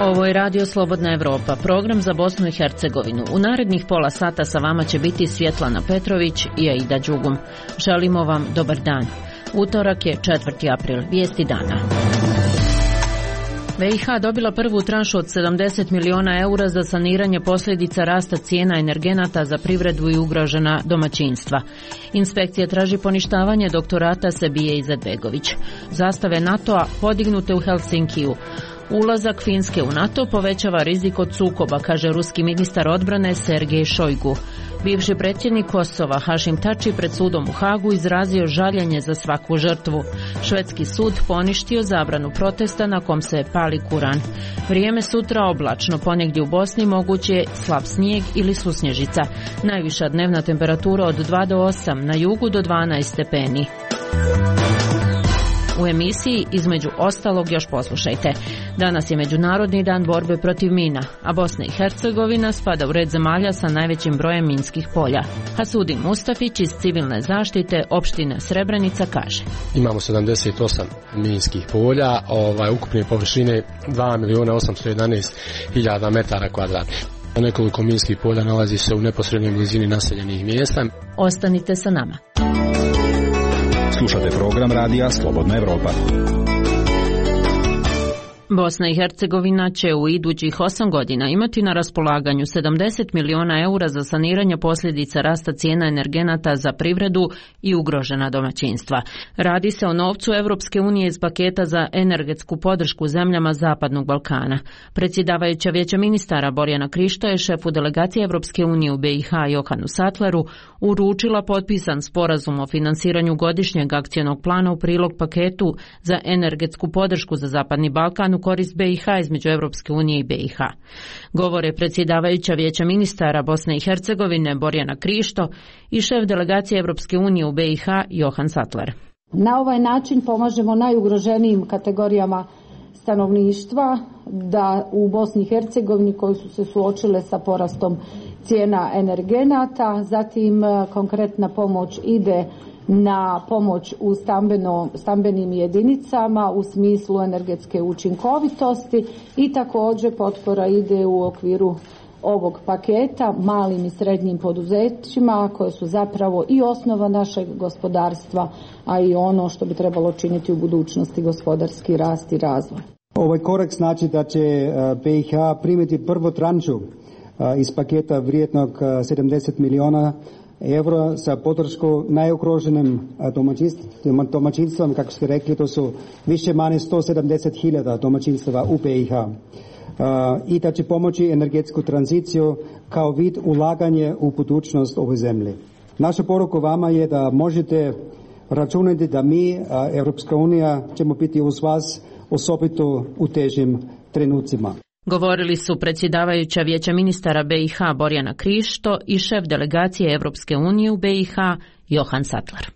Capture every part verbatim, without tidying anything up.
Ovo je Radio Slobodna Evropa, program za Bosnu i Hercegovinu. U narednih pola sata sa vama će biti Svjetlana Petrović i Aida Đugum. Želimo vam dobar dan. Utorak je četvrti april, vijesti dana. B i H dobila prvu tranšu od sedamdeset miliona eura za saniranje posljedica rasta cijena energenata za privredu i ugrožena domaćinstva. Inspekcija traži poništavanje doktorata Sebije Izetbegović. Zastave NATO-a podignute u Helsinkiju. Ulazak Finske u NATO povećava rizik od sukoba, kaže ruski ministar odbrane Sergej Šojgu. Bivši predsjednik Kosova Hašim Tači pred sudom u Hagu izrazio žaljenje za svaku žrtvu. Švedski sud poništio zabranu protesta na kom se pali Kuran. Vrijeme sutra oblačno, ponegdje u Bosni moguće je slab snijeg ili susnježica. Najviša dnevna temperatura od dva do osam, na jugu do dvanaest stepeni. U emisiji između ostalog još poslušajte. Danas je Međunarodni dan borbe protiv mina, a Bosna i Hercegovina spada u red zemalja sa najvećim brojem minskih polja. Hasudin Mustafić iz civilne zaštite opštine Srebrenica kaže: Imamo sedamdeset osam minskih polja, ovaj, ukupne površine dva milijuna osamsto jedanaest hiljada metara kvadratnih. Nekoliko minskih polja nalazi se u neposrednoj blizini naseljenih mjesta. Ostanite sa nama. Slušate program Radija Slobodna Evropa. Bosna i Hercegovina će u idućih osam godina imati na raspolaganju sedamdeset miliona eura za saniranje posljedica rasta cijena energenata za privredu i ugrožena domaćinstva. Radi se o novcu Evropske unije iz paketa za energetsku podršku zemljama Zapadnog Balkana. Predsjedavajuća Vijeća ministara Borjana Krišto je šefu delegacije Evropske unije u B i H Johanu Sattleru uručila potpisan sporazum o finansiranju godišnjeg akcionog plana u prilog paketu za energetsku podršku za Zapadni Balkan u korist B i H između Evropske unije i B i H. Govore predsjedavajuća Vijeća ministara Bosne i Hercegovine Borjana Krišto i šef delegacije Evropske unije u B i H Johan Sattler. Na ovaj način pomažemo najugroženijim kategorijama stanovništva da u Bosni i Hercegovini koji su se suočile sa porastom cijena energenata, zatim konkretna pomoć ide na pomoć u stambeno, stambenim jedinicama u smislu energetske učinkovitosti i također potpora ide u okviru ovog paketa malim i srednjim poduzećima koje su zapravo i osnova našeg gospodarstva, a i ono što bi trebalo činiti u budućnosti gospodarski rast i razvoj. Ovaj korak znači da će B i H primiti prvu tranšu iz paketa vrijednog sedamdeset miliona eura za podršku najugroženim domaćinstvom, kako ste rekli, to su više manje sto sedamdeset hiljada domaćinstava u B i H. I da će pomoći energetsku tranziciju kao vid ulaganje u budućnost ove zemlje. Naša poruka vama je da možete računati da mi, Europska unija, ćemo biti uz vas osobito u težim trenucima. Govorili su predsjedavajuća Vijeća ministara B i H Borjana Krišto i šef delegacije Evropske unije u B i H Johan Sattler.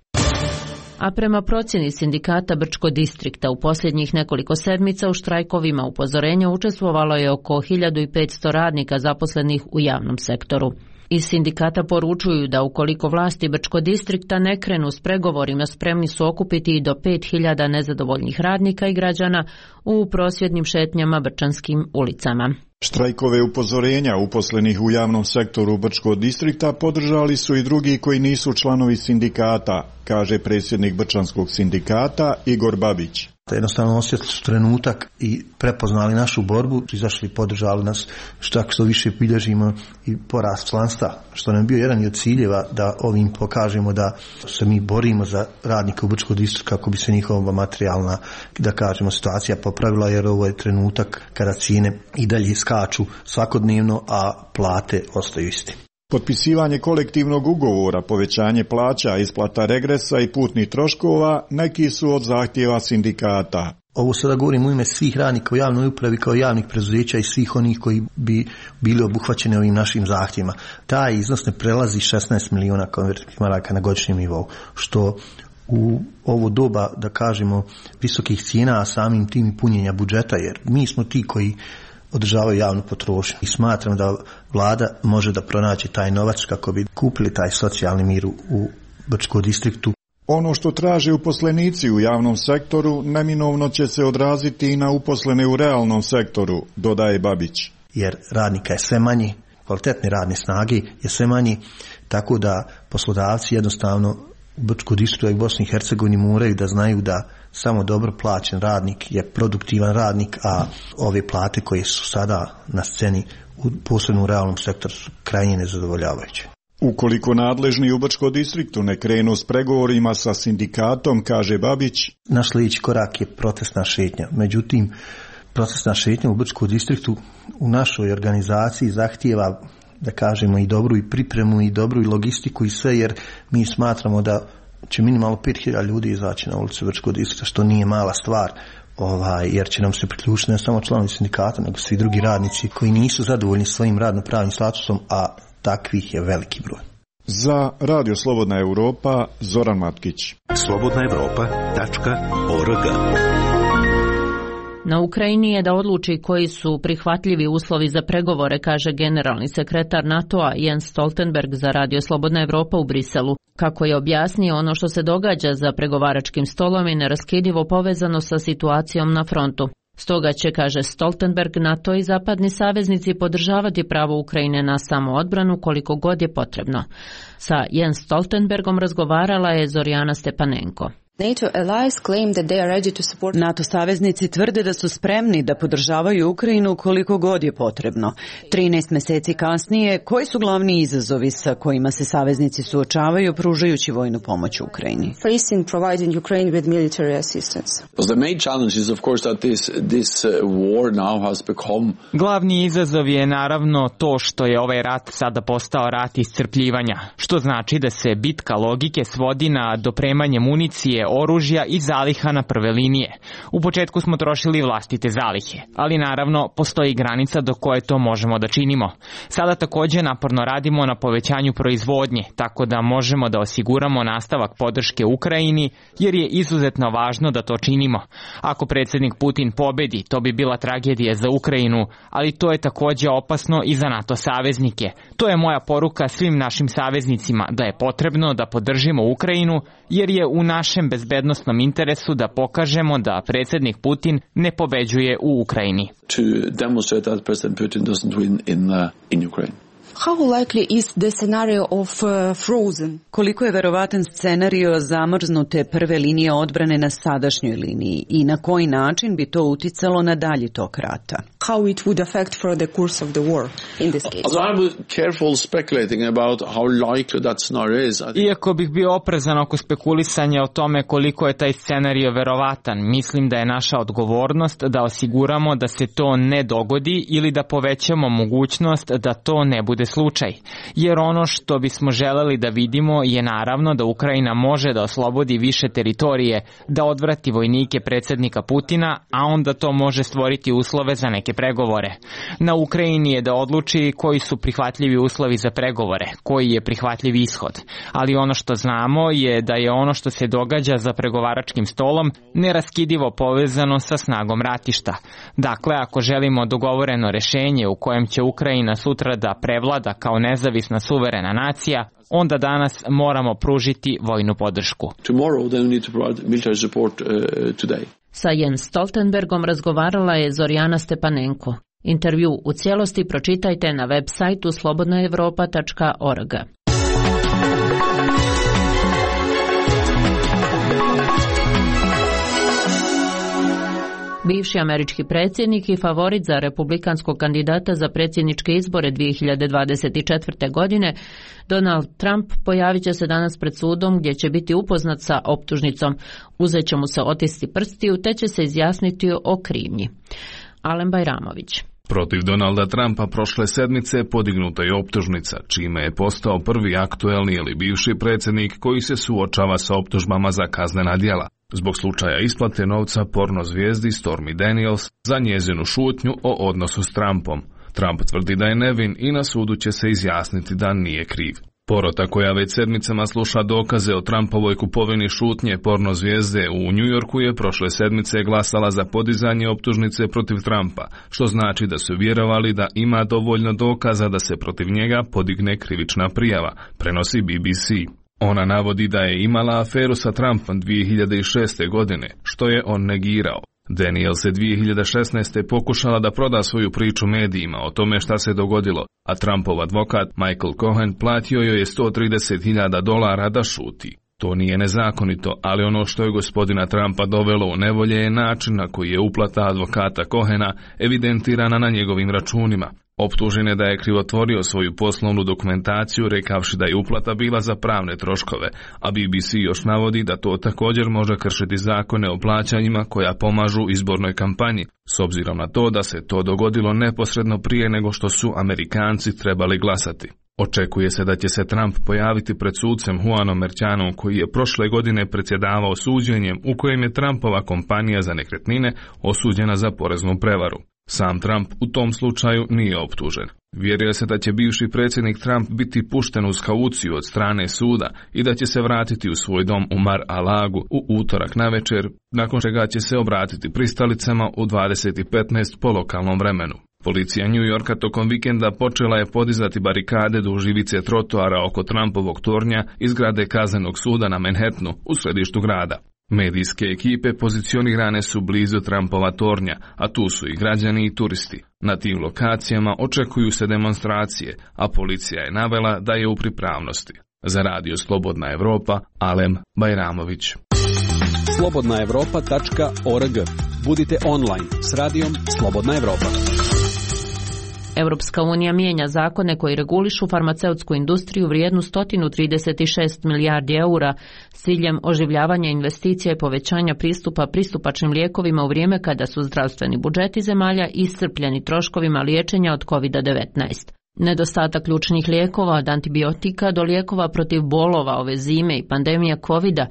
A prema procjeni sindikata Brčko distrikta u posljednjih nekoliko sedmica u štrajkovima upozorenja učestvovalo je oko hiljadu petsto radnika zaposlenih u javnom sektoru. Iz sindikata poručuju da ukoliko vlasti Brčko distrikta ne krenu s pregovorima, spremni su okupiti i do pet hiljada nezadovoljnih radnika i građana u prosvjednim šetnjama brčanskim ulicama. Štrajkove upozorenja uposlenih u javnom sektoru Brčkog distrikta podržali su i drugi koji nisu članovi sindikata, kaže predsjednik Brčanskog sindikata Igor Babić. Jednostavno osjetili su trenutak i prepoznali našu borbu, izašli i podržali nas, što što više bilježimo i porast članstva, što nam je bio jedan od ciljeva da ovim pokažemo da se mi borimo za radnike u Brčkom distriktu kako bi se njihova materijalna, da kažemo, situacija popravila, jer ovo je trenutak kada cijene i dalje skaču svakodnevno, a plate ostaju iste. Potpisivanje kolektivnog ugovora, povećanje plaća, isplata regresa i putnih troškova neki su od zahtjeva sindikata. Ovo sada govorim u ime svih radnika u javnoj upravi kao javnih preduzeća i svih onih koji bi bili obuhvaćeni ovim našim zahtjevima. Taj iznos ne prelazi šesnaest miliona konvertnih maraka na godišnjem nivou, što u ovo doba, da kažemo, visokih cijena, a samim tim i punjenja budžeta, jer mi smo ti koji održavaju javnu potrošnju. I smatram da vlada može da pronaći taj novac kako bi kupili taj socijalni mir u Brčkom distriktu. Ono što traže uposlenici u javnom sektoru neminovno će se odraziti i na uposlene u realnom sektoru, dodaje Babić. Jer radnika je sve manji, kvalitetne radne snage je sve manji, tako da poslodavci jednostavno u Brčkoj distriktu i Bosni i Hercegovini moraju da znaju da samo dobro plaćen radnik je produktivan radnik, a ove plate koje su sada na sceni, posebno u realnom sektoru, su krajnje nezadovoljavajuće. Ukoliko nadležni u Brčkom distriktu ne krenu s pregovorima sa sindikatom, kaže Babić, naš sljedeći korak je protestna šetnja. Međutim, protestna šetnja u Brčkom distriktu u našoj organizaciji zahtijeva, da kažemo, i dobru i pripremu i dobru i logistiku i sve, jer mi smatramo da će minimalno pet hiljada ljudi izaći na ulicu Brčkog distrikta, što nije mala stvar. Ovaj, jer će nam se priključiti ne samo članovi sindikata, nego svi drugi radnici koji nisu zadovoljni svojim radno-pravnim statusom, a takvih je veliki broj. Za Radio Slobodna Europa, Zoran Matkić. slobodna europa tačka org. Na Ukrajini je da odluči koji su prihvatljivi uslovi za pregovore, kaže generalni sekretar NATO-a Jens Stoltenberg za Radio Slobodna Europa u Briselu. Kako je objasnio, ono što se događa za pregovaračkim stolom je neraskidivo povezano sa situacijom na frontu. Stoga će, kaže Stoltenberg, NATO i zapadni saveznici podržavati pravo Ukrajine na samoodbranu koliko god je potrebno. Sa Jens Stoltenbergom razgovarala je Zorjana Stepanenko. NATO saveznici tvrde da su spremni da podržavaju Ukrajinu koliko god je potrebno. trinaest mjeseci kasnije, koji su glavni izazovi sa kojima se saveznici suočavaju pružajući vojnu pomoć Ukrajini? Glavni izazov je naravno to što je ovaj rat sada postao rat iscrpljivanja, što znači da se bitka logike svodi na dopremanje municije, oružja i zaliha na prve linije. U početku smo trošili vlastite zalihe, ali naravno postoji granica do koje to možemo da činimo. Sada također naporno radimo na povećanju proizvodnje, tako da možemo da osiguramo nastavak podrške Ukrajini, jer je izuzetno važno da to činimo. Ako predsjednik Putin pobedi, to bi bila tragedija za Ukrajinu, ali to je također opasno i za NATO saveznike. To je moja poruka svim našim saveznicima, da je potrebno da podržimo Ukrajinu, jer je u našem bezbednosnom interesu da pokažemo da predsjednik Putin ne pobeđuje u Ukrajini. To demonstrate that President Putin doesn't win in, uh, in Ukraine. How likely is the scenario of uh, frozen? Koliko je verovatan scenario zamrznute prve linije odbrane na sadašnjoj liniji i na koji način bi to uticalo na dalji tok rata? How it would affect for the course of the war in this case? Also, I'm careful speculating about how likely that scenario is. Iako bih bio oprezan oko spekulisanja o tome koliko je taj scenario verovatan, mislim da je naša odgovornost da osiguramo da se to ne dogodi ili da povećamo mogućnost da to ne bude slučaj. Jer ono što bismo želeli da vidimo je naravno da Ukrajina može da oslobodi više teritorije, da odvrati vojnike predsjednika Putina, a onda to može stvoriti uslove za neke pregovore. Na Ukrajini je da odluči koji su prihvatljivi uslovi za pregovore, koji je prihvatljiv ishod. Ali ono što znamo je da je ono što se događa za pregovaračkim stolom neraskidivo povezano sa snagom ratišta. Dakle, ako želimo dogovoreno rješenje u kojem će Ukrajina sutra da prevlada kao nezavisna suverena nacija, onda danas moramo pružiti vojnu podršku. Tomorrow they need to provide military support uh, today. Sa Jens Stoltenbergom razgovarala je Zorjana Stepanenko. Intervju u cijelosti pročitajte na web sajtu slobodna europa tačka org. Bivši američki predsjednik i favorit za republikanskog kandidata za predsjedničke izbore dvije hiljade dvadeset četvrte. godine, Donald Trump pojavit će se danas pred sudom gdje će biti upoznat sa optužnicom. Uzet će mu se otisci prstiju te će se izjasniti o krivnji. Alen Bajramović. Protiv Donalda Trumpa prošle sedmice podignuta je optužnica, čime je postao prvi aktuelni ili bivši predsjednik koji se suočava sa optužbama za kaznena djela. Zbog slučaja isplate novca porno zvijezdi Stormy Daniels za njezinu šutnju o odnosu s Trumpom. Trump tvrdi da je nevin i na sudu će se izjasniti da nije kriv. Porota koja već sedmicama sluša dokaze o Trumpovoj kupovini šutnje porno zvijezde u New Yorku je prošle sedmice glasala za podizanje optužnice protiv Trumpa, što znači da su vjerovali da ima dovoljno dokaza da se protiv njega podigne krivična prijava, prenosi B B C. Ona navodi da je imala aferu sa Trumpom dvije hiljade šeste. godine, što je on negirao. Daniels je dvije hiljade šesnaeste. pokušala da proda svoju priču medijima o tome šta se dogodilo, a Trumpov advokat Michael Cohen platio joj je sto trideset hiljada dolara da šuti. To nije nezakonito, ali ono što je gospodina Trumpa dovelo u nevolje je način na koji je uplata advokata Cohena evidentirana na njegovim računima. Optužen je da je krivotvorio svoju poslovnu dokumentaciju rekavši da je uplata bila za pravne troškove, a B B C još navodi da to također može kršiti zakone o plaćanjima koja pomažu izbornoj kampanji, s obzirom na to da se to dogodilo neposredno prije nego što su Amerikanci trebali glasati. Očekuje se da će se Trump pojaviti pred sucem Juanom Mercanom, koji je prošle godine predsjedavao suđenjem u kojem je Trumpova kompanija za nekretnine osuđena za poreznu prevaru. Sam Trump u tom slučaju nije optužen. Vjeruje se da će bivši predsjednik Trump biti pušten uz kauciju od strane suda i da će se vratiti u svoj dom u Mar-a-Lagu u utorak navečer, nakon čega će se obratiti pristalicama u dvadeset petnaest po lokalnom vremenu. Policija New Yorka tokom vikenda počela je podizati barikade duž ivice trotoara oko Trumpovog tornja iz zgrade kaznenog suda na Manhattanu u središtu grada. Medijske ekipe pozicionirane su blizu Trumpova tornja, a tu su i građani i turisti. Na tim lokacijama očekuju se demonstracije, a policija je navela da je u pripravnosti. Za radio Slobodna Evropa, Alem Bajramović. slobodna evropa tačka org. Budite online s radijom Slobodna Evropa. Europska unija mijenja zakone koji regulišu farmaceutsku industriju vrijednu sto trideset šest milijardi eura s ciljem oživljavanja investicija i povećanja pristupa pristupačnim lijekovima u vrijeme kada su zdravstveni budžeti zemalja iscrpljeni troškovima liječenja od kovid devetnaest. Nedostatak ključnih lijekova od antibiotika do lijekova protiv bolova ove zime i pandemija kovida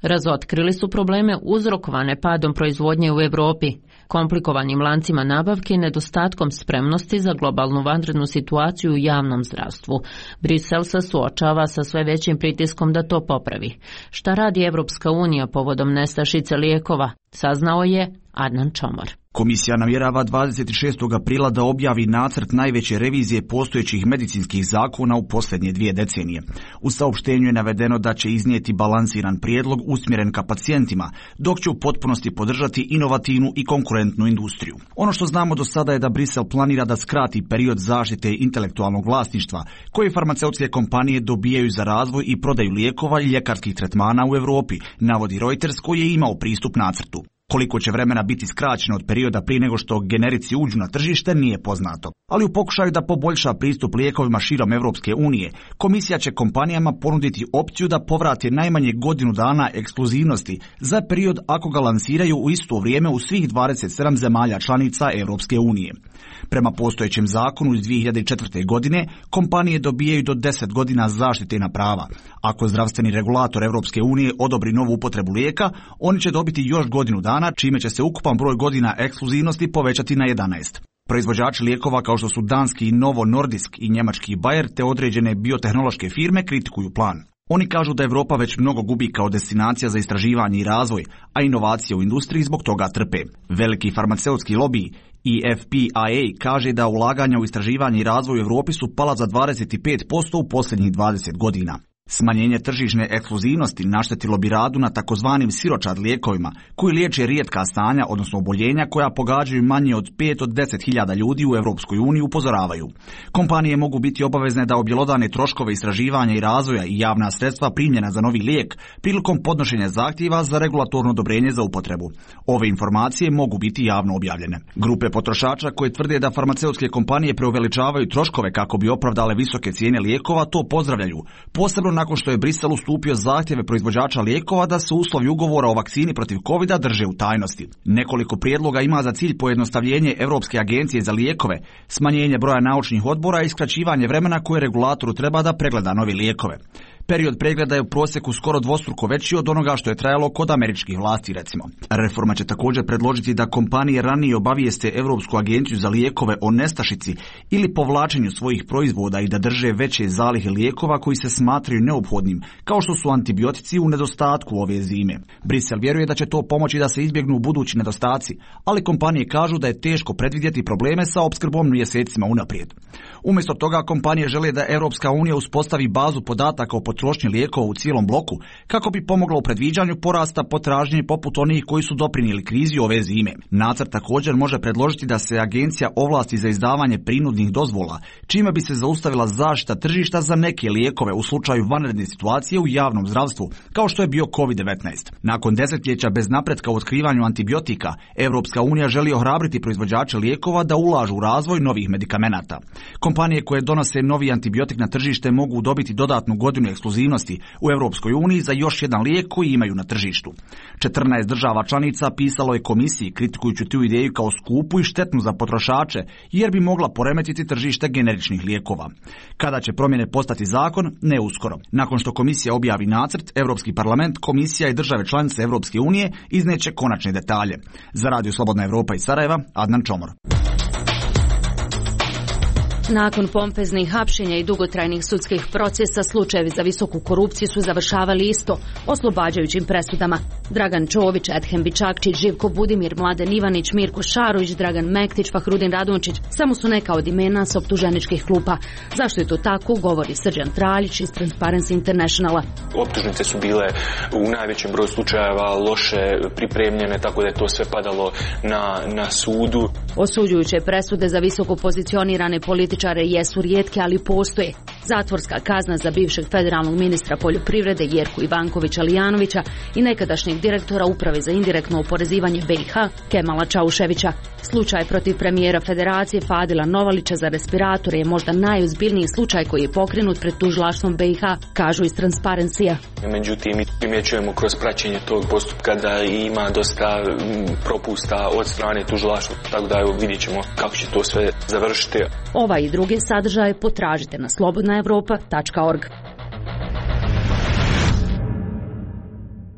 razotkrili su probleme uzrokovane padom proizvodnje u Europi, komplikovanim lancima nabavke i nedostatkom spremnosti za globalnu vanrednu situaciju u javnom zdravstvu. Brisel se suočava sa sve većim pritiskom da to popravi. Šta radi Evropska unija povodom nestašice lijekova, saznao je Adnan Čomor. Komisija namjerava dvadeset šestog aprila da objavi nacrt najveće revizije postojećih medicinskih zakona u posljednje dvije decenije. U saopštenju je navedeno da će iznijeti balansiran prijedlog usmjeren ka pacijentima, dok će u potpunosti podržati inovativnu i konkurentnu industriju. Ono što znamo do sada je da Brisel planira da skrati period zaštite intelektualnog vlasništva koje farmaceutske kompanije dobijaju za razvoj i prodaju lijekova i ljekarskih tretmana u Europi, navodi Reuters koji je imao pristup nacrtu. Koliko će vremena biti skraćeno od perioda prije nego što generici uđu na tržište nije poznato. Ali u pokušaju da poboljša pristup lijekovima širom Europske unije, komisija će kompanijama ponuditi opciju da povrate najmanje godinu dana ekskluzivnosti za period ako ga lansiraju u isto vrijeme u svih dvadeset sedam zemalja članica Europske unije. Prema postojećem zakonu iz dvije hiljade četvrte. godine, kompanije dobijaju do deset godina zaštitena prava. Ako zdravstveni regulator Europske unije odobri novu upotrebu lijeka, oni će dobiti još godinu dana, čime će se ukupan broj godina ekskluzivnosti povećati na jedanaest. Proizvođači lijekova kao što su danski Novo Nordisk i njemački Bayer te određene biotehnološke firme kritikuju plan. Oni kažu da Europa već mnogo gubi kao destinacija za istraživanje i razvoj, a inovacije u industriji zbog toga trpe. Veliki farmaceutski lobiji I F P I A kaže da ulaganja u istraživanje i razvoj u Europi su pala za dvadeset pet posto u posljednjih dvadeset godina. Smanjenje tržišne ekskluzivnosti naštetilo bi radu na takozvanim siročad lijekovima, koji liječe rijetka stanja, odnosno oboljenja koja pogađaju manje od pet od deset hiljada ljudi u Europskoj uniji, upozoravaju. Kompanije mogu biti obavezne da objelodane troškove istraživanja i razvoja i javna sredstva primljena za novi lijek prilikom podnošenja zahtjeva za regulatorno odobrenje za upotrebu. Ove informacije mogu biti javno objavljene. Grupe potrošača koje tvrde da farmaceutske kompanije preuveličavaju troškove kako bi opravdale visoke cijene lijekova to pozdravljaju, posebno nakon što je Brisel ustupio zahtjeve proizvođača lijekova da se uslovi ugovora o vakcini protiv kovida drže u tajnosti. Nekoliko prijedloga ima za cilj pojednostavljenje Europske agencije za lijekove, smanjenje broja naučnih odbora i skraćivanje vremena koje regulatoru treba da pregleda nove lijekove. Period pregleda je u prosjeku skoro dvostruko veći od onoga što je trajalo kod američkih vlasti, recimo. Reforma će također predložiti da kompanije ranije obavijeste Europsku agenciju za lijekove o nestašici ili povlačenju svojih proizvoda i da drže veće zalihe lijekova koji se smatraju neophodnim, kao što su antibiotici u nedostatku ove zime. Brisel vjeruje da će to pomoći da se izbjegnu budući nedostaci, ali kompanije kažu da je teško predvidjeti probleme sa opskrbom mjesecima unaprijed. Umjesto toga kompanije žele da Europska unija uspostavi bazu podataka o potrošnji potrošnje lijekova u cijelom bloku kako bi pomogla u predviđanju porasta potražnje poput onih koji su doprinijeli krizi ove zime. Nacrt također može predložiti da se agencija ovlasti za izdavanje prinudnih dozvola, čime bi se zaustavila zaštita tržišta za neke lijekove u slučaju vanredne situacije u javnom zdravstvu, kao što je bio kovid devetnaest. Nakon desetljeća bez napretka u otkrivanju antibiotika, Europska unija želi ohrabriti proizvođače lijekova da ulažu u razvoj novih medikamenata. Kompanije koje donose novi antibiotik na tržište mogu dobiti dodatnu godinu ekskluzivnosti u Europskoj uniji za još jedan lijek koji imaju na tržištu. četrnaest država članica pisalo je komisiji kritikujući tu ideju kao skupu i štetnu za potrošače, jer bi mogla poremetiti tržište generičnih lijekova. Kada će promjene postati zakon? Ne uskoro. Nakon što komisija objavi nacrt, Europski parlament, komisija i države članice Europske unije izneće konačne detalje. Za Radio Slobodna Evropa iz Sarajeva, Adnan Čomor. Nakon pompeznih hapšenja i dugotrajnih sudskih procesa, slučajevi za visoku korupciju su završavali isto, oslobađajućim presudama. Dragan Čović, Edhem Bičakčić, Živko Budimir, Mladen Ivanić, Mirko Šarović, Dragan Mektić, Fahrudin Radončić samo su neka od imena s optuženičkih klupa. Zašto je to tako, govori Srđan Traljić iz Transparency Internationala. Optužnice su bile u najvećem broju slučajeva loše pripremljene, tako da je to sve padalo na, na sudu. Osuđujuće presude za visoko pozicionirane političare jesu rijetke, ali postoje. Zatvorska kazna za bivšeg federalnog ministra poljoprivrede Jerku Ivankovića Lijanovića i nekadašnjeg direktora Uprave za indirektno oporezivanje B i H Kemala Čauševića. Slučaj protiv premijera Federacije Fadila Novalića za respiratore je možda najozbiljniji slučaj koji je pokrenut pred tužilaštvom B i H, kažu iz Transparencija. Međutim, mi primjećujemo kroz praćenje tog postupka da ima dosta propusta od strane tužilaštva, tako da evo, vidjet ćemo kako će to sve završiti. Ova i druge sadržaje potražite na slobodna evropa tačka org.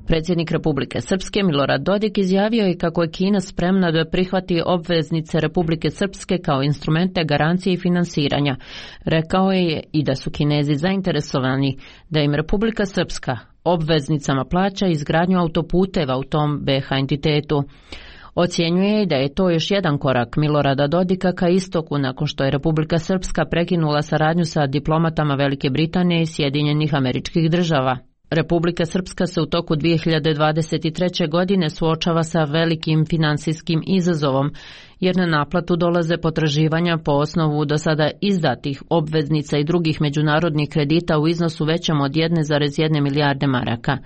Predsjednik Republike Srpske Milorad Dodik izjavio je kako je Kina spremna da prihvati obveznice Republike Srpske kao instrumente garancije i finansiranja. Rekao je i da su Kinezi zainteresovani da im Republika Srpska obveznicama plaća izgradnju autoputeva u tom B H entitetu. Ocjenjuje da je to još jedan korak Milorada Dodika ka istoku nakon što je Republika Srpska prekinula saradnju sa diplomatama Velike Britanije i Sjedinjenih Američkih Država. Republika Srpska se u toku dvije hiljade dvadeset treće. godine suočava sa velikim finansijskim izazovom, jer na naplatu dolaze potraživanja po osnovu do sada izdatih obveznica i drugih međunarodnih kredita u iznosu većem od jedne zarez jedne milijarde maraka.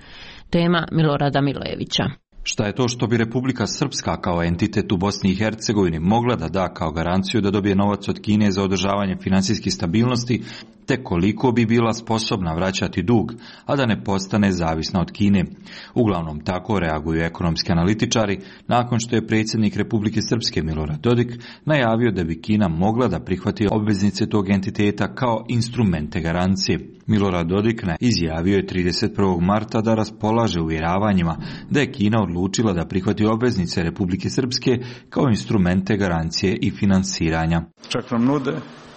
Tema Milorada Milojevića. Šta je to što bi Republika Srpska kao entitet u Bosni i Hercegovini mogla da da kao garanciju da dobije novac od Kine za održavanje financijske stabilnosti, te koliko bi bila sposobna vraćati dug, a da ne postane zavisna od Kine. Uglavnom tako reaguju ekonomski analitičari nakon što je predsjednik Republike Srpske Milorad Dodik najavio da bi Kina mogla da prihvati obveznice tog entiteta kao instrumente garancije. Milorad Dodik izjavio je trideset prvog marta da raspolaže uvjeravanjima da je Kina odlučila da prihvati obveznice Republike Srpske kao instrumente garancije i finansiranja. Čak nam nude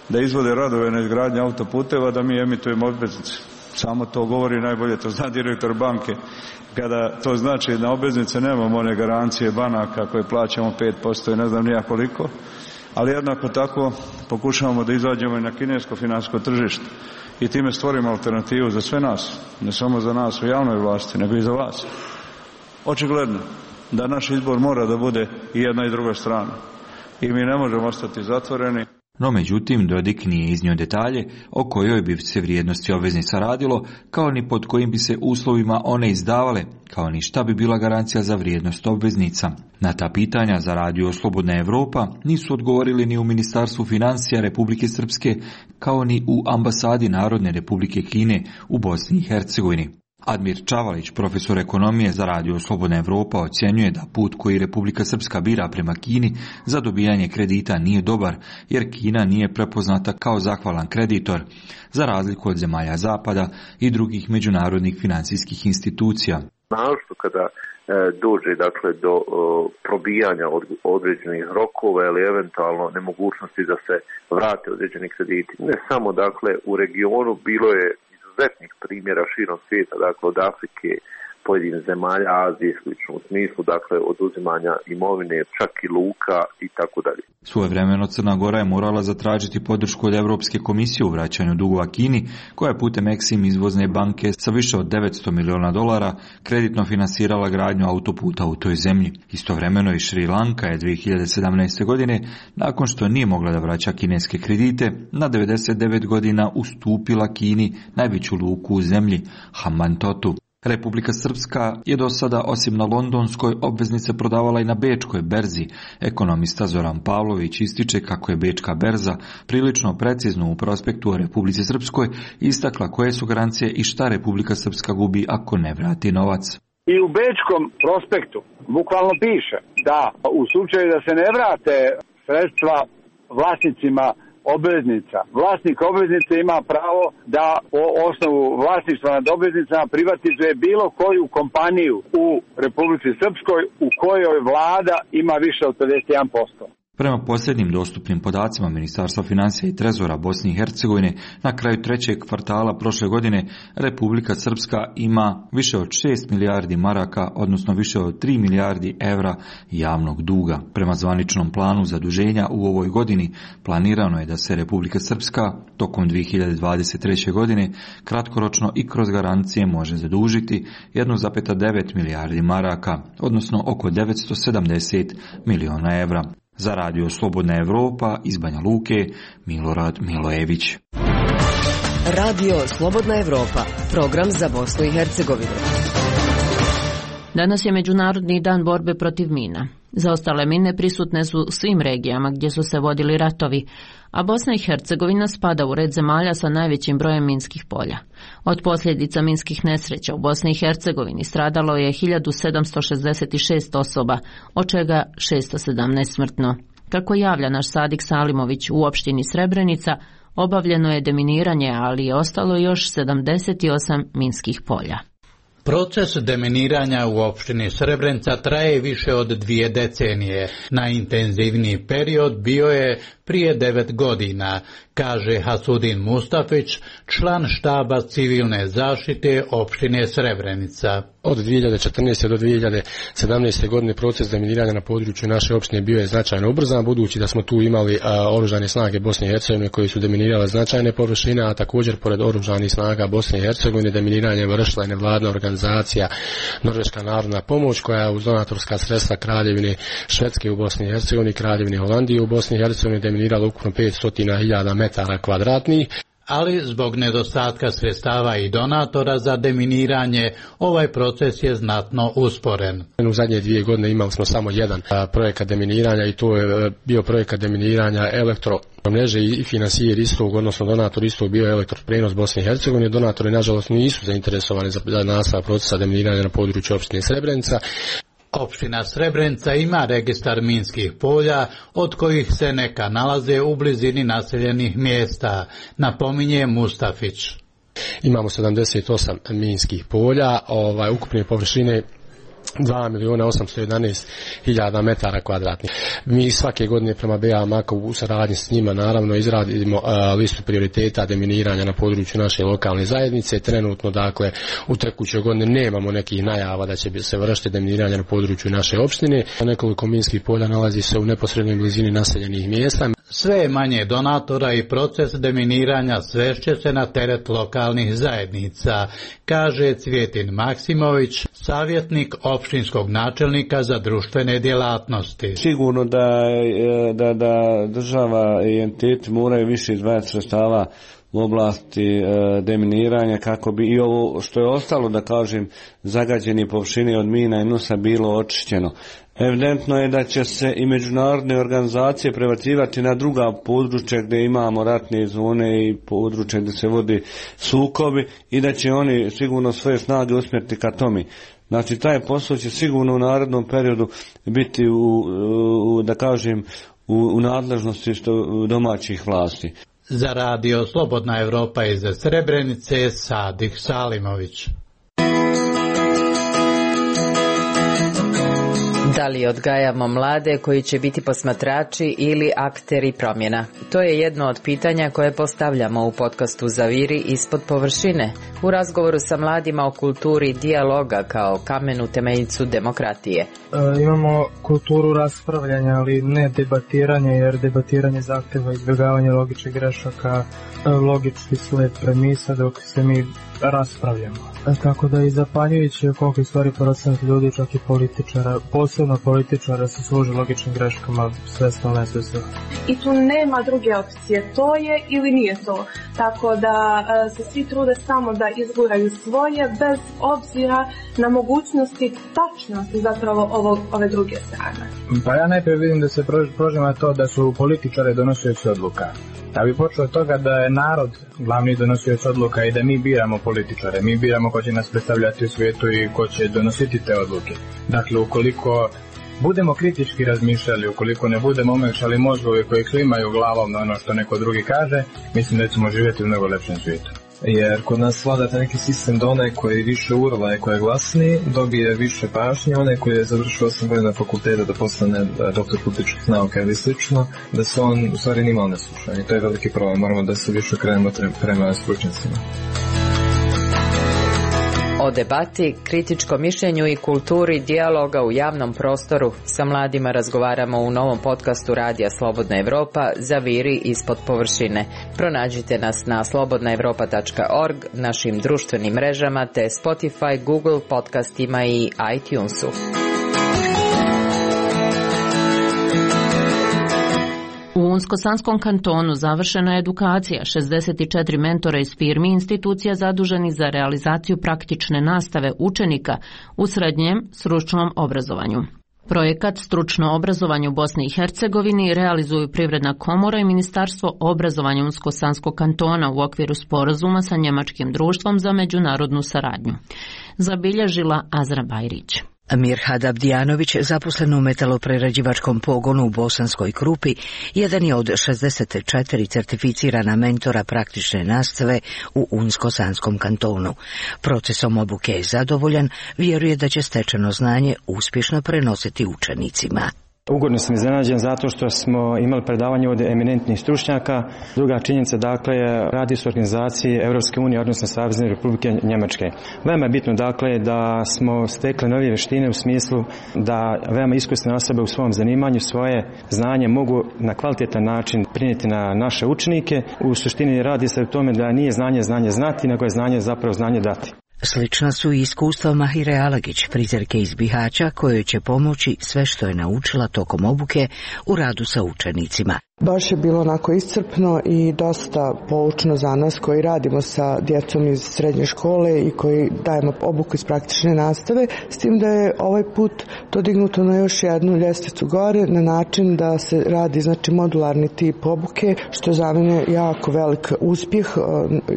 da izvode radove na izgradnji autoputeva, da mi emitujemo obveznice. Samo to govori najbolje, to zna direktor banke. Kada to znači na obveznice nemamo one garancije banaka koje plaćamo pet posto i ne znam nija koliko, ali jednako tako pokušavamo da izađemo i na kinesko financijsko tržište i time stvorimo alternativu za sve nas, ne samo za nas u javnoj vlasti, nego i za vas. Očigledno da naš izbor mora da bude i jedna i druga strana i mi ne možemo ostati zatvoreni. No međutim, Dodik nije iznio detalje o kojoj bi se vrijednosti obveznica radilo, kao ni pod kojim bi se uslovima one izdavale, kao ni šta bi bila garancija za vrijednost obveznica. Na ta pitanja za Radio Slobodna Evropa nisu odgovorili ni u Ministarstvu financija Republike Srpske, kao ni u Ambasadi Narodne Republike Kine u Bosni i Hercegovini. Admir Čavalić, profesor ekonomije za Radio Slobodna Evropa, ocjenjuje da put koji Republika Srpska bira prema Kini za dobijanje kredita nije dobar, jer Kina nije prepoznata kao zahvalan kreditor, za razliku od zemalja Zapada i drugih međunarodnih financijskih institucija. Našto kada e, dođe dakle, do o, probijanja od, određenih rokova ili eventualno nemogućnosti da se vrate određeni krediti. Ne samo dakle u regionu, bilo je izuzetnih primjera širom svijeta, dakle od Afrike pojedinih zemalja Azije slično u smislu dakle oduzimanja imovine, čak i luka i tako dalje. Svojevremeno Crna Gora je morala zatražiti podršku od Europske komisije u vraćanju dugova Kini, koja je putem Exim izvozne banke sa više od devetsto miliona dolara kreditno finansirala gradnju autoputa u toj zemlji. Istovremeno i Šri Lanka je dvije hiljade sedamnaeste. godine, nakon što nije mogla da vraća kineske kredite, na devedeset devet godina ustupila Kini najveću luku u zemlji, Hambantota. Republika Srpska je do sada osim na londonskoj obveznice prodavala i na bečkoj berzi. Ekonomista Zoran Pavlović ističe kako je bečka berza prilično precizno u prospektu o Republici Srpskoj istakla koje su garancije i šta Republika Srpska gubi ako ne vrati novac. I u bečkom prospektu bukvalno piše da u slučaju da se ne vrate sredstva vlasnicima obveznica, vlasnik obveznice ima pravo da po osnovu vlasništva nad obveznicama privatizuje bilo koju kompaniju u Republici Srpskoj u kojoj vlada ima više od pedeset jedan posto. Prema posljednjim dostupnim podacima Ministarstva financija i trezora Bosne i Hercegovine, na kraju trećeg kvartala prošle godine Republika Srpska ima više od šest milijardi maraka, odnosno više od tri milijardi evra javnog duga. Prema zvaničnom planu zaduženja u ovoj godini planirano je da se Republika Srpska tokom dvije hiljade dvadeset treće. godine kratkoročno i kroz garancije može zadužiti jedan zarez devet milijardi maraka, odnosno oko devetsto sedamdeset miliona evra. Za radio Slobodna Evropa iz Banja Luke, Milorad Milojević. Radio Slobodna Evropa, program za Bosnu i Hercegovinu. Danas je Međunarodni dan borbe protiv mina. Zaostale mine prisutne su u svim regijama gdje su se vodili ratovi, a Bosna i Hercegovina spada u red zemalja sa najvećim brojem minskih polja. Od posljedica minskih nesreća u Bosni i Hercegovini stradalo je hiljadu sedamsto šezdeset šest osoba, od čega šesto sedamnaest smrtno. Kako javlja naš Sadik Salimović u opštini Srebrenica, obavljeno je deminiranje, ali je ostalo još sedamdeset osam minskih polja. Proces deminiranja u opštini Srebrenica traje više od dvije decenije. Najintenzivniji period bio je prije devet godina, kaže Hasudin Mustafić, član štaba civilne zaštite opštine Srebrenica. Od dvije hiljade četrnaeste. do dvije hiljade sedamnaeste. godine proces deminiranja na području naše opštine bio je značajno ubrzan, budući da smo tu imali a, oružane snage Bosne i Hercegovine koji su deminirale značajne površine, a također pored oružanih snaga Bosne i Hercegovine deminiranje vršila je nevladina organizacija Norveška narodna pomoć, koja je uz donatorska sredstva Kraljevine Švedske u Bosni i Hercegovini, Kraljevine Holandije u Bosni i Hercegovini deminirala ukupno petsto hiljada metara kvadratnih. Ali zbog nedostatka sredstava i donatora za deminiranje, ovaj proces je znatno usporen. U zadnje dvije godine imali smo samo jedan a, projekat deminiranja i to je bio projekat deminiranja elektro mreže i financijer istog, odnosno donator istog bio je Elektroprenos Bosne i Hercegovine. Donatori nažalost nisu zainteresovani za nastavak procesa deminiranja na području opštine Srebrenica. Opština Srebrenica ima registar minskih polja, od kojih se neka nalaze u blizini naseljenih mjesta, napominje Mustafić. Imamo sedamdeset osam minskih polja, ovaj, ukupne površine dva milijuna osamsto jedanaest hiljada metara kvadratnih. Mi svake godine prema B A Mako u saradnji s njima naravno izradimo a, listu prioriteta deminiranja na području naše lokalne zajednice. Trenutno dakle u tekućoj godini nemamo nekih najava da će se vršiti deminiranje na području naše opštine. Nekoliko minskih polja nalazi se u neposrednoj blizini naseljenih mjesta. Sve je manje donatora i proces deminiranja svešće se na teret lokalnih zajednica, kaže Cvjetin Maksimović, savjetnik opštinskog načelnika za društvene djelatnosti. Sigurno da, da, da država i entiteti moraju više izdvajati sredstava u oblasti e, deminiranja kako bi i ovo što je ostalo, da kažem, zagađeni površine od mina i nusa bilo očišćeno. Evidentno je da će se i međunarodne organizacije prebacivati na druga područja gdje imamo ratne zone i područja gdje se vodi sukobi i da će oni sigurno svoje snage usmjeriti ka tome. Znači taj posao će sigurno u narednom periodu biti u, u da kažem u, u nadležnosti što domaćih vlasti. Za radio Slobodna Evropa iz Srebrenice, Sadih Salimović. Da li odgajamo mlade koji će biti posmatrači ili akteri promjena? To je jedno od pitanja koje postavljamo u podcastu Zaviri ispod površine, u razgovoru sa mladima o kulturi dijaloga kao kamenu temeljicu demokratije. E, imamo kulturu raspravljanja, ali ne debatiranja, jer debatiranje zahteva izbjegavanje logičnih grešaka, logički sled premisa dok se mi raspravljamo. E, tako da i zapanjujući je koliko stvari procent ljudi, čak i političara, posebno političara, se služi logičnim greškama svesno nesvesno. I tu nema druge opcije, to je ili nije to. Tako da e, se svi trude samo da izguraju svoje bez obzira na mogućnosti tačnosti zapravo ovo, ove druge strane. Pa ja najprije vidim da se prožima to da su političari donosioci odluka. Ja bih počeo od toga da je narod glavni donosioc odluka i da mi biramo političare. Mi biramo ko će nas predstavljati u svijetu i ko će donositi te odluke. Dakle, ukoliko budemo kritički razmišljali, ukoliko ne budemo omekšali mozgovi koji klimaju glavom na ono što neko drugi kaže, mislim da ćemo živjeti u mnogo lepšem svijetu. Jer kod nas vlada neki sistem da onaj koji više urla i koji je glasniji dobije više pažnje, onaj koji je završio osam godina fakulteta da postane doktor političkih nauka ili slično, da se on u stvari nimalo ne sluša. I to je veliki problem, moramo da se više krenemo prema stručnjacima. O debati, kritičkom mišljenju i kulturi dijaloga u javnom prostoru sa mladima razgovaramo u novom podcastu Radija Slobodna Evropa Zaviri ispod površine. Pronađite nas na slobodna evropa tačka org, našim društvenim mrežama te Spotify, Google podcastima i iTunesu. U Unsko-Sanskom kantonu završena je edukacija šezdeset četiri mentora iz firmi i institucija zaduženih za realizaciju praktične nastave učenika u srednjem stručnom obrazovanju. Projekat Stručno obrazovanje u Bosni i Hercegovini realizuju Privredna komora i Ministarstvo obrazovanja Unsko-Sanskog kantona u okviru sporazuma sa Njemačkim društvom za međunarodnu saradnju. Zabilježila Azra Bajrić. Mirhad Abdijanović, zaposlen u metaloprerađivačkom pogonu u Bosanskoj Krupi, jedan je od šezdeset četiri certificirana mentora praktične nastave u Unsko-Sanskom kantonu. Procesom obuke je zadovoljan, vjeruje da će stečeno znanje uspješno prenositi učenicima. Ugodno sam iznenađen zato što smo imali predavanje od eminentnih stručnjaka. Druga činjenica, dakle, radi se o organizaciji Europske unije, odnosno Savezne Republike Njemačke. Veoma je bitno, dakle, da smo stekli nove vještine u smislu da veoma iskusne osobe u svom zanimanju svoje znanje mogu na kvalitetan način prinijeti na naše učenike. U suštini radi se o tome da nije znanje znanje znati, nego je znanje zapravo znanje dati. Slična su i iskustva Mahire Alagić, frizerke iz Bihaća, kojoj će pomoći sve što je naučila tokom obuke u radu sa učenicima. Baš je bilo onako iscrpno i dosta poučno za nas koji radimo sa djecom iz srednje škole i koji dajemo obuku iz praktične nastave, s tim da je ovaj put to dignuto na još jednu ljestvicu gore na način da se radi znači modularni tip obuke, što je za mene jako velik uspjeh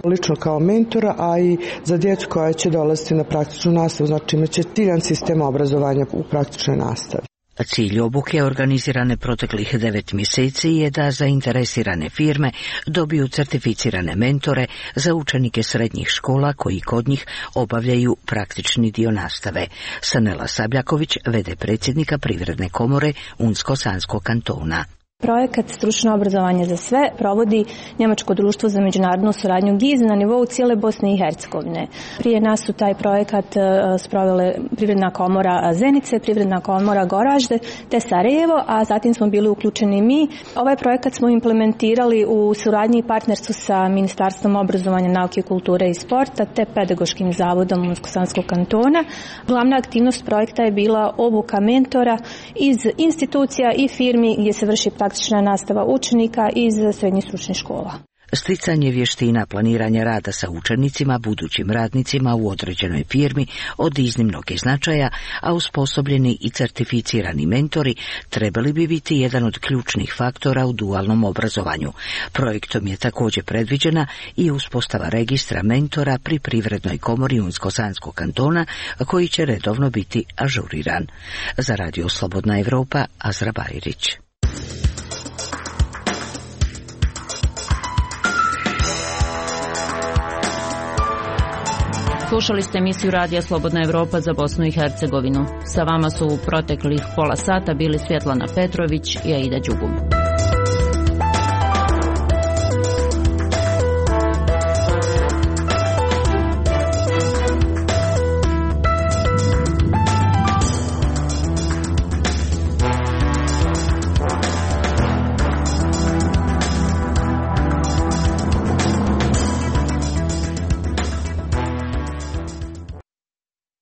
lično kao mentora, a i za djecu koja će dolaziti na praktičnu nastavu, znači imaće ciljan sistem obrazovanja u praktičnoj nastavi. Cilj obuke organizirane proteklih devet mjeseci je da zainteresirane firme dobiju certificirane mentore za učenike srednjih škola koji kod njih obavljaju praktični dio nastave. Sanela Sabljaković, v d predsjednika Privredne komore Unsko-Sanskog kantona. Projekat Stručno obrazovanje za sve provodi Njemačko društvo za međunarodnu suradnju G I Z na nivou cijele Bosne i Hercegovine. Prije nas su taj projekat sprovele Privredna komora Zenice, Privredna komora Goražde te Sarajevo, a zatim smo bili uključeni mi. Ovaj projekat smo implementirali u suradnji i partnerstvu sa Ministarstvom obrazovanja, nauke, kulture i sporta te Pedagoškim zavodom Unsko-Sanskog kantona. Glavna aktivnost projekta je bila obuka mentora iz institucija i firmi gdje se vrši praktična nastava učenika iz srednjih stručnih škola. Sticanje vještina planiranja rada sa učenicima, budućim radnicima u određenoj firmi od iznimnog je značaja, a usposobljeni i certificirani mentori trebali bi biti jedan od ključnih faktora u dualnom obrazovanju. Projektom je također predviđena i uspostava registra mentora pri Privrednoj komori Unsko-Sanskog kantona, koji će redovno biti ažuriran. Za Radio Slobodna Evropa, Azra Bajrić. Slušali ste emisiju Radija Slobodna Evropa za Bosnu i Hercegovinu. Sa vama su u proteklih pola sata bili Svjetlana Petrović i Aida Đugum.